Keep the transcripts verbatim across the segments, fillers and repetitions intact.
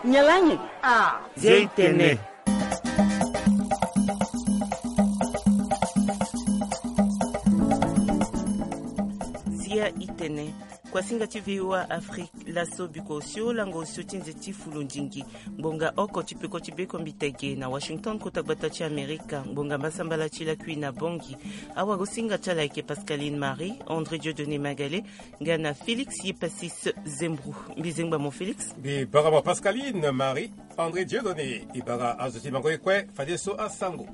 Nyalangi. Ah. Zia itene. Zia itene. Kuasinga ti V O A Afrique, laso biko osio lango osio ti nze ti fulundingi. Ngbonga oko ti peko ti bekombitege na Washington, kota gbata ti Amerika. Ngbonga mbasambala ti lakui na Bongi. Awagosinga ti ala ayeke Pascaline Marie, André Dieudonné Magale, nga na Félix Yepasis Zembru. Mbi zengba mo Félix. Mbi bara mo Pascaline Marie, André Dieudonné. E bara azo ti mango e kue fadeso asango.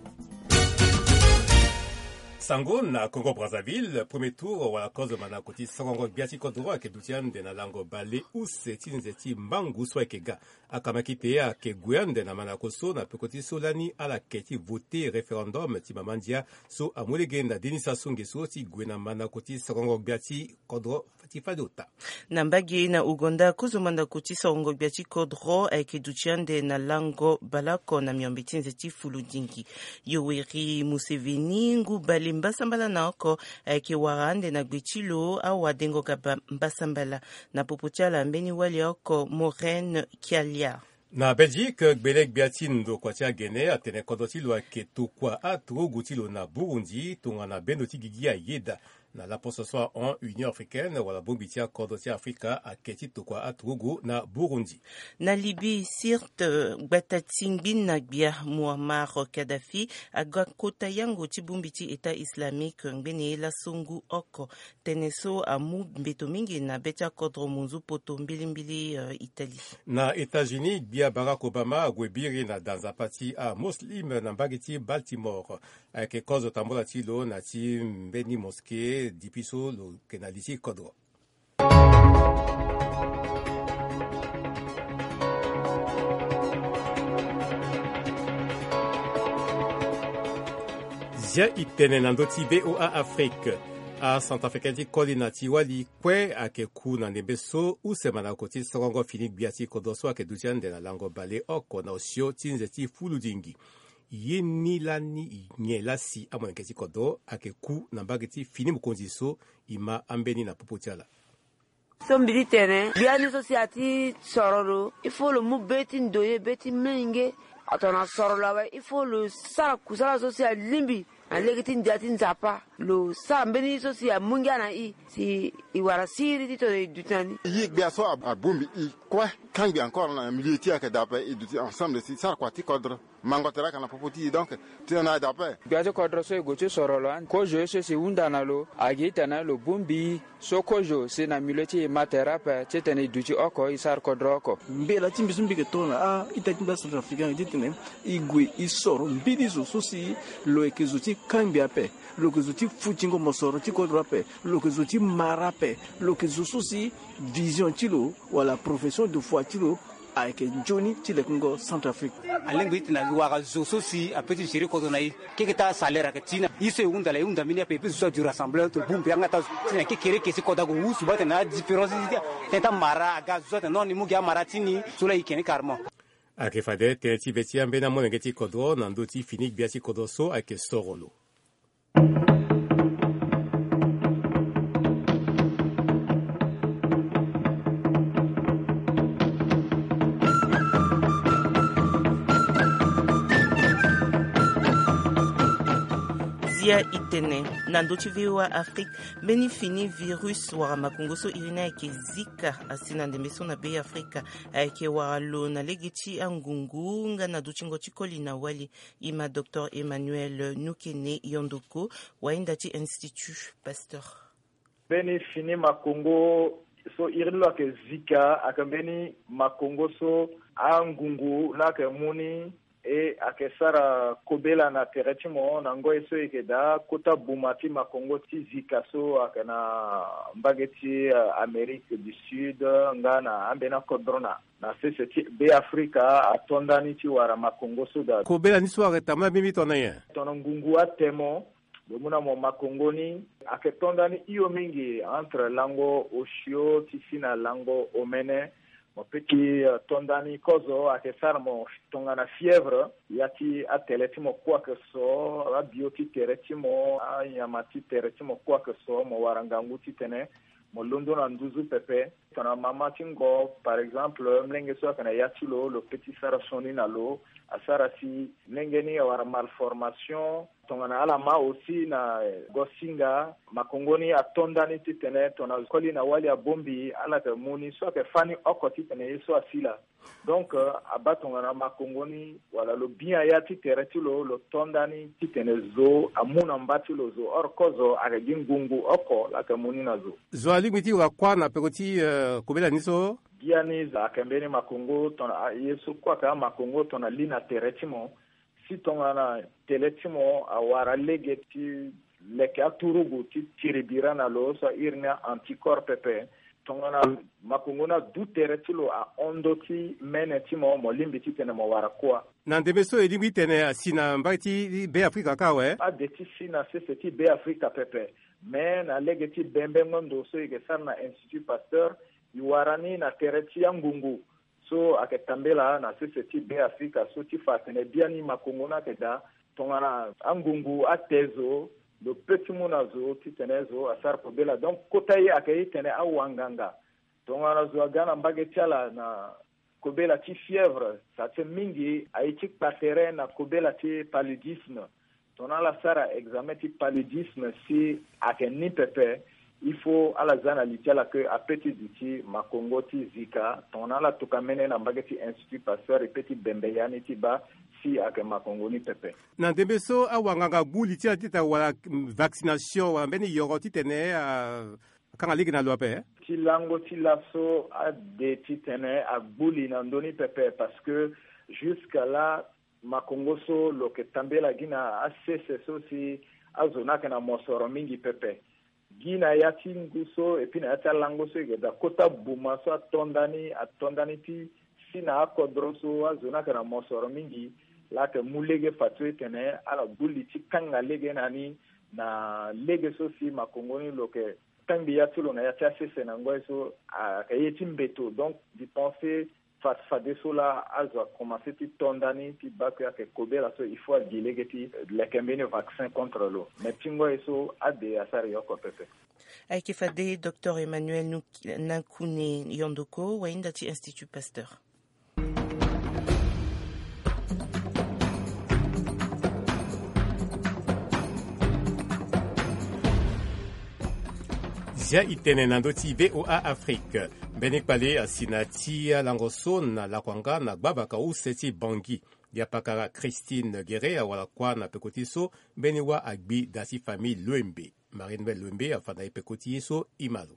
Sango na Congo Brazzaville, premier tour wala kozo mandako ti sorongo gbia ti kodro ayeke duti ande na lango bale use ti nze ti mbangu so ayeke ga. Akamakite ayeke gue ande na mandako so na peko ti so lani ala yeke ti vote référendum ti mama ndia so amu lege na denisa songe so ti gue na mandako ti sorongo gbia ti kodro ti fade ota. Na mbage na Ouganda, kozo mandako ti sorongo gbia ti kodro ayeke duti ande na lango baleoko na miombe ti nze ti fulundingi. Yoweri Museveni, ngu bale mbasambala na oko, ayeke wara ande na gbe ti lo awadengo kaba mbasambala. Na popo ti ala mbeni wali oko Maureen Kialia. Na Belgique, gbele gbia ti ndokua ti agene atene kodro ti lo ayeke tokua aturugu ti lo na Burundi tongana bendo ti gigi ayeda. Na laposo so ahon, Union africaine wala bongbi ti akodro ti Afrika ayeke ti tokua aturugu na Burundi. Na Libye, Sirte, gbata ti ngbina gbia Muammar Kadhafi aga kota yango ti bongbi ti État islamique ngbene ye laso ngu oko. Tënë so amu mbeto mingi na be ti akodro monzu poto mbilimbili, eh, Italie. Na États-Unis, gbia Barack Obama ague biri na da nzapa ti amuslim na mbage ti Baltimore. Ayeke kozo tambola ti lo na ti mbeni mosquée depuis so lo yeke na li ti kodro. Zia itene na ndö ti V O A Afrique. Acentrafricain ti koli na ti wali kue ayeke ku na ndembe so use mandako ti sorongo fini gbia ti kodro so ayeke duti ande na lango baleoko na osio ti nze ti fulundingi. Ye ni lani nyen laa si amolenge ti kodro ayeke ku na mbage ti fini mokonzi so e ma ambeni na popo ti ala. So mbi ti tene biani so si ati soro lo, il faut lo mu be ti ndoye, be ti menge. Atona soro lo awe, il faut lo sara kusala so si alingbi na lege ti ndia ti Nzapa. Lo sara mbeni so si amu ngia na i si i wara siriri titene i duti na ni. Ye gbia so abongbi i kue, kangbi encore na milieu ti ayeke daa ape, i duti ensemble si sara kua ti kodro. Mango tere ayeke na popo ti e, donc titene na ayeke daa ape. Gbia ti kodro so e gue ti soro lo ande, kozo ye so si e hunda na lo, agi titene lo bongbi i. So kozo si na milieu ti e ma tere ape titene e duti oko, e sara kodro oko. Mbela ti mbi so mbi yeke tongana a-ita ti mbi acentrafricain titene e gue e soro mbeni zo so si lo yeke zo ti kangbi ape, lo yeke zo ti futingo mosoro ti kodro ape, lo yeke zo ti mara ape, lo yeke zo so si vision ti lo wala profession de foi ti lo ayeke nzoni ti lekengo Centrafrique. Alingbi ti tene a wara zo so si apeut ti gérer kodro na e. Keke ti asalaire ayeke ti na e so e hunda la, e hunda mbeni ape, e peut zo ti adu rassemblement to bongbi yanga ti azo ti na kekereke si kodro ague wusu baa tene na adifférence ti tene ti amara aga zo atene non ni mu gi amara ti ni so laa e yeke ni carrément. Ayeke fade tënë ti be ti ambeni amolenge ti kodro na ndö ti fini gbia ti kodro so ayeke soro lo. Zia itene na ndö ti V O A Afrique, mbeni fini virus wala makongo so iri ni ayeke Zika asi na ndembe so na Be Afrika. Ayeke wara lo na lege ti angungu nga na dutingo ti koli na wali. E ma Docteur Emmanuel Nukene Yondoko, wahinda ti Institut Pasteur. Mbeni fini makongo so iri ni lo ayeke Zika ayeke mbeni makongo so angungu laa ayeke mu ni, e ayeke sara kobela na tere ti mo na ngoi so e yeke daa kota buma ti makongo ti Zika so ayeke na mbage ti, eh, Amérique du Sud nga na ambeni akodro na na sese ti Be Afrika ato ndani ti wara makongo so daa. Kobela ni so ayeke tambula mbi mbi tongana nyen? Tongana ngungu atene mo, lo mu na mo makongo ni ayeke to ndani hio mingi entre lango osio ti si na lango omene. Mo peut ti, eh, to ndani kozo ayeke sara mo tongana fièvre, ya ti atele ti mo kue ayeke so, abio ti tere ti mo, anyama ti tere ti mo kue ayeke so, mo wara ngangu titene mo londo na nduzu pepe. Tongana mama ti ngo, par exemple, mlenge so ayeke na ya ti lo, lo pe ti sara sioni na lo, asara si mlenge ni awara malformation. Tongana ala ma aussi na gosinga, makongo ni ato ndani titene tongana koli na wali abongbi, ala yeke mu ni so ayeke fâ ni oko titene ye so asi laa. Donc, euh, abaa tongana makongo ni wala lo bi aya ti tere ti lo, lo to ndani titene zo amu na mba ti lo zo. Or kozo ayeke gi ngungu oko laa ayeke mu ni na zo. Zo alingbi ti wara kuâ na peko ti, euh, kobela ni so? Biani zo ayeke mbeni makongo tongana, ah, ye so kue ayeke amakongo tongana li na tere ti mo. Si tongana tele ti mo awara lege ti leke aturugu ti tiribira na lo so airi ni anticorps pepe, tongana makongo ni adu tere ti lo ahon ndö ti mene ti mo, mo lingbi titene mo wara kuâ. Na ndembe so e lingbi titene asi na mbage ti Be Afrika kâ awe? Ade ti si na sese ti Be Afrika pepe. Me na lege ti bembengo ndo so e yeke sara na Institut Pasteur, e wara ni na tere ti angungu so ayeke tambela na sese ti Be Afrika so ti fa atene biani makongo ni ayeke daa. Tongana angungu ate zo, lo pe ti mu na zo titene zo asara kobela. Donc kota ye ayeke ye titene awanganga. Tongana zo aga na mbage ti ala na kobela ti fièvre, sa ti mingi aye ti kpa tere na kobela ti paludisme. Tongana ala sara examen ti paludisme si ayeke ni pepe, il faut ala za na li ti ala ke ape ti duti makongo ti zika. Tongana ala tokua mene na mbage ti Institut Pasteur, e pe ti bembe ya ni ti baa si ayeke makongo ni pepe. Na ndembe so awanganga agbu li ti ala titene awara vaccination wala mbeni yoro titene a akanga lege na lo ape? Ti lango ti laso ade titene agbu li na ndö ni pepe, parce que jusque là makongo so lo yeke tambela gi na asese so si azo ni ayeke na mosoro mingi pepe. Gi na ya ti ngu so et puis na ya ti alango so e yeke daa kota buma so ato ndani, ato ndani ti si na akodro so azo ni ayeke na mosoro mingi. Laa ayeke mu lege fadeso titene ala gbu li ti kanga lege na ni na lege so si makongo ni lo yeke kangbi ya ti lo na ya ti asese na ngoi so ayeke ye ti mbeto. Donc je pense fa fadeso laa azo akomanse ti to ndani ti baa ke ayeke kobela so il faut agi lege ti leke mbeni vaccin contre lo. Mais ti ngoi so ade asara e oko pepe. Ayeke fade Docteur Emmanuel Nuk-, Nankune Yondoko, wahinda ti Institut Pasteur. Zia e tene na ndö ti V O A Afrique. Mbeni kpale asi na ti alango so na lakuanga na gbavaka use ti Bangui. Diapakara Christine Guerre awara kuâ na peko ti so mbeni wâ agbi daa ti famille Loembe. Marie Noël Loembe afa na e peko ti ye so e ma lo.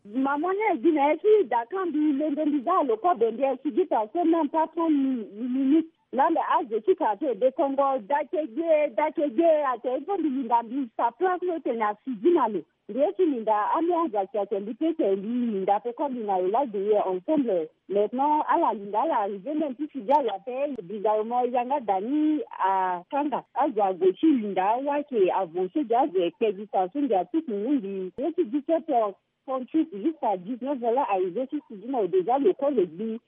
Maman ni e gi na e ti dakan mbi lende mbi za lo kobe mbi e sigi ta so même pas trente minutes. Laa mbi azo ti quartier de Congo dake gbie dake gbie ate il faut mbi linda mbi sa place lo tene asigi na lo. Mbi ye ti linda ami azo ake ate mbi pe ke mbi linda pe kobe na lo laa de ye ensemble. Maintenant ala linda ala arrivé même ti sigi ala pe. Mbi za lo mo yanga da ni akanga azo ague ti linda awa ke avance de azo ekpe gi sa so mbi atuku ngu mbi ye ti dix-sept heures trente-huit jusqu'à dix-neuf heures laa arrivé ti sigi na lo déjà lo kue lo gbi.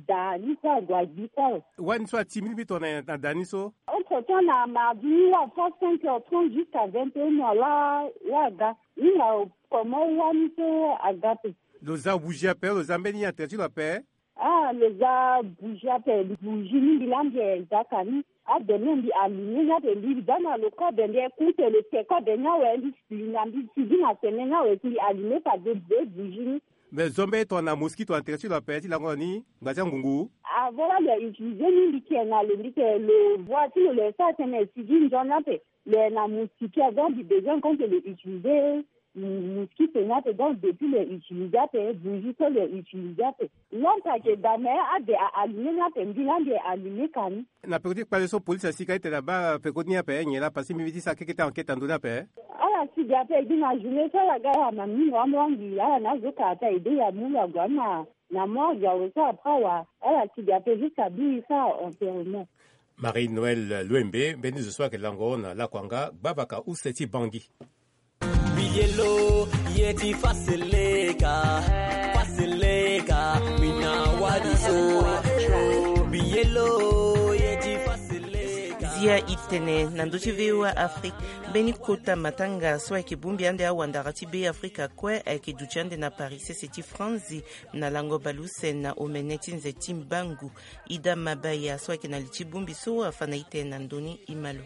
Da ni so ague agbi kue. Wani so ati mbi lingbi tongana na da ni so? Entre temps na mardi ni wâ fa cinq heures trente jusqu'à vingt et une heures laa wâ aga. Ni na comment wani so aga pe. Lo za bougie ape, lo za mbeni ya tere ti lo ape? Ah lo za bougie ape, bougie ni mbi laa mbi e za ka ni. Ade ni mbi allumer ni ape mbi za na lo kobe mbi e kute lo te kobe ni awe mbi linda mbi sigi na sene ni awe si mbi allumer fade bougie ni. Mais zo mbeni tongana mosquito na tere ti lo ape ti lango ni ngba ti angungu? Avant laa lo e utiliser ni mbi ke na lo mbi ke lo voie ti lo lo e sara tënë e sigi nzoni ape. Lo e na mosquito donc mbi besoin compte lo utiliser mosquito ni ape donc depuis lo e utiliser ape bougie so lo e utiliser ape. Lampe ayeke da mais ade a allumer ni ape mbi laa mbi e allumer ka ni. Na peko ti kpale so police asi ka ti tene abaa peko ti ni ape nyen laa parce que mbi mbi ti sara keke ti enquête na ndö ni ape. Ala si ga ape gi na journée so ala ga ala na mingo ambra mbi ala na azo ka ape aide ya mu ya gue na na morgue awe so après awa ala si ga ape jusqu'à biri so enterrement. Marie Noël Loembe mbeni zo so ayeke lango na lakuanga gbavaka use ti Bangui. Biyelo ye ti faseleka faseleka mina wadi so. Biyelo ye ti faseleka. Ya itene na ndö ti VOA Afrique. Mbeni kota matanga so ayeke bongbi ande awandara ti Be Afrika kue ayeke duti ande na Paris sese ti Franzi, na lango bale use na omene ti nze ti mbangu. Ida Mabaya so ayeke na li ti bongbi so afa na itene na ndö ni, e ma lo.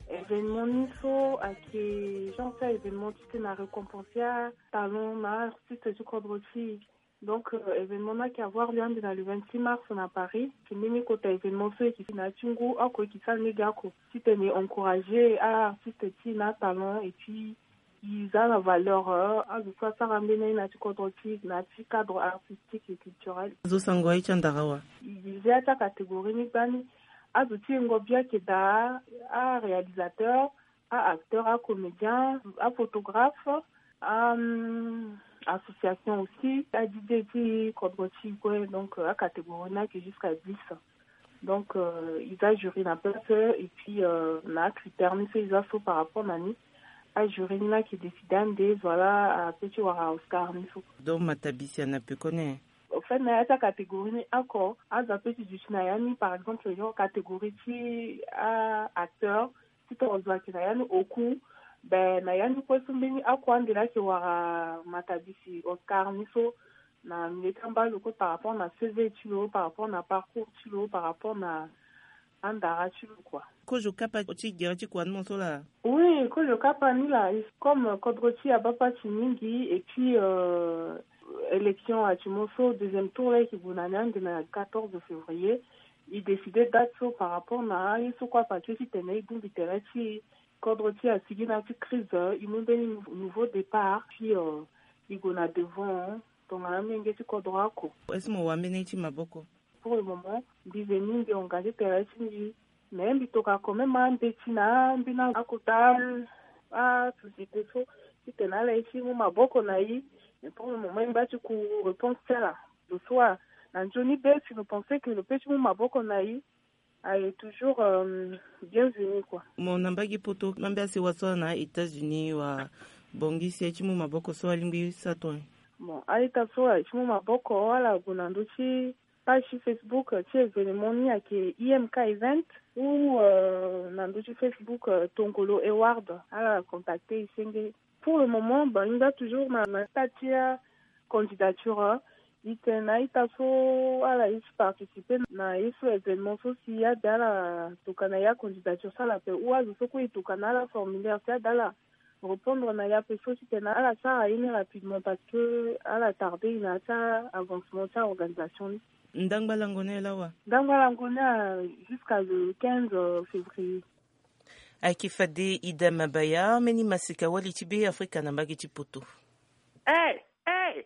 Événement ni so ayeke genre ti événement ti tene arécompenser atalent na artiste ti kodro ti e. Donc euh, événement ni ayeke avoir lieu ande na le vingt-six mars na Paris. Ti mbeni kota événement so e yeke na ya ti ngu oko e yeke sara lege oko ti tene encourager aartiste ti e na atalent et puis e za na valeur euh, azo so asara mbeni aye na ya ti kodro ti e na ya ti cadre artistique et culturel. Azo sango aye ti andara awa. E zi ya ti acatégorie ni gbani. Azo ti yengo bia ayeke daa aréalisateur, aacteur, acomédien, aphotographe, a hum, association aussi, adj ti kodro ti e kue. Donc euh, acatégorie ni ayeke jusqu'à dix. Donc euh, e za jury na place et puis euh, na acritère ni so e za so par rapport na ni, ajury ni la ayeke décide ande, voilà, ape ti wara Oscar ni so. Donc matabisi ana pekoni. Au fait na ya ti acatégorie ni oko azo ape ti duti na ya ni, par exemple genre catégorie ti aacteur, ti tongana zo ayeke na ya ni oku, be na ya ni kue so mbeni oko ande la ayeke wara matabisi Oscar ni so na milieu ti ambalo kue par rapport na CV ti lo, par rapport na parcours ti lo, par rapport na andara ti lo kua. Kozo kapa ti gere ti kua ni mo so laa? Oui, kozo kapa ni laa, comme kodro ti e abaa pasi mingi et puis euh, élection ayeke mo so, deuxième tour la e yeke gue na ni ande na quatorze février. E décide date so par rapport na aye so kue afa ti e ti tene e bongbi tere ti e. Kodro ti e asigi na ya ti crise, e mu mbeni nou- nouveau départ puis euh, e gue na devant tongana amenge ti kodro oko. Est-ce que mo wara mbeni aye ti maboko? Pour le moment mbi veni mbi engagé tere ti mbi. Mais mbi tokua quand même ambeti na ambeni akota asociété so ti tene ala ye ti mu maboko na e. Mais pour le moment e ngba ti ku réponse ti ala. Lo so a na nzoni be si lo pensé que lo peut ti mu maboko na e, aye toujours euh, bienvenu kua. Mo na mbage poto, ambe asewa so ala na États-Unis wala Bangui si aye ti mu maboko so alingbi sara tongana nyen? Bon, a-ita so aye ti mu maboko ala gue na ndö ti page ti Facebook ti événement ni ayeke I M K Event ou euh, na ndö ti Facebook euh, Tongolo Award, ala contacté e senge. Pour le moment ba e ngba toujours na na stade ti acandidature. E tene na a-ita so ala ye ti participer na ye so événement so si abe ala tokua na ye acandidature so ala pe ou azo so kue e tokua na ala formulaire si abe ala répondre na ya pe so ti tene ala sara ye ni rapidement parce que ala tardé na ya ti avancement ti aorganisation ni. Ndangba lango ni aye lawa? Ndangba lango ni aye jusqu'à le quinze février. Ayeke fade Ida Mabaya, mbeni masika wali ti Be Afrika na mbage ti poto. Eh, eh,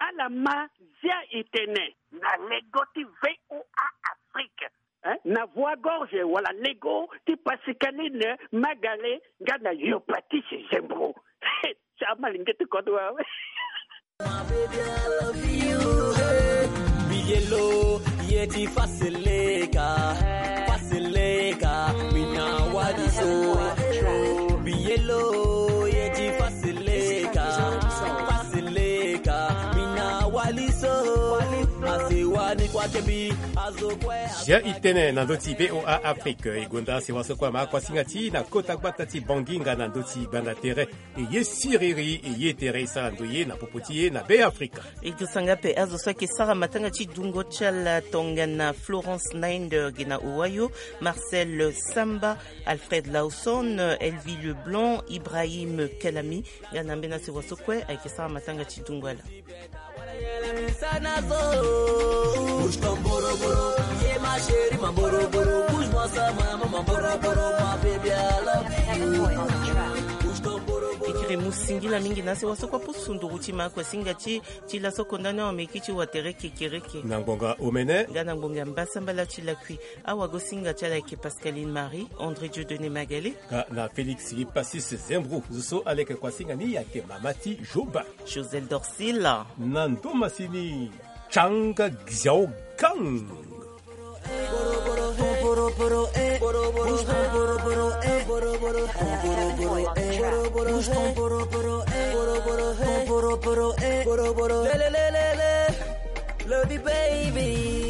ala ma zia e tene na lego ti VOA Afrique, eh, na Voix Gorge wala lego ti Pascaline Magale nga na Yopatise Zembro. Ti amalenge ti kodro awe. Biyelo ye ti faseleka, faseleka, mina wali so. Biyelo ye ti faseleka, faseleka, mina wali so. Asewa ni kua kebi azo kue. Zia e tene na ndö ti VOA Afrique, e gonda asewa so kue ama kuasinga ti e na kota gbata ti Bangui nga na ndö ti gbanda tere. E ye siriri, e ye tere e sara ndoye na popo ti e na Be Afrika. E dusa nga ape azo so ayeke sara matanga ti dungo ti ala tongana Florence Nainder ge na Ohio, Marcel Samba, Alfred Lawson, Elvie Leblanc, Ibrahim Kelami, nga na ambeni asewa so kue ayeke sara matanga ti dungo ala. E kiri mu singila mingi na asewa so kue apusu nduru ti ma kue singa ti ti laso konda ni awa meki ti watere kekereke. Na ngbonga omene nga na ngbonga mbasambala ti lakui. Awagosinga ti ala ayeke Pascaline Marie, André Dieudonné Magale, nga na Félix Passis Zembro. Zo so ala yeke kuasinga ni ayeke mama ti Joba, Josel Dorsila. Na ndo masini Changa Xiaogang. Lele, lele, lele, love you, baby.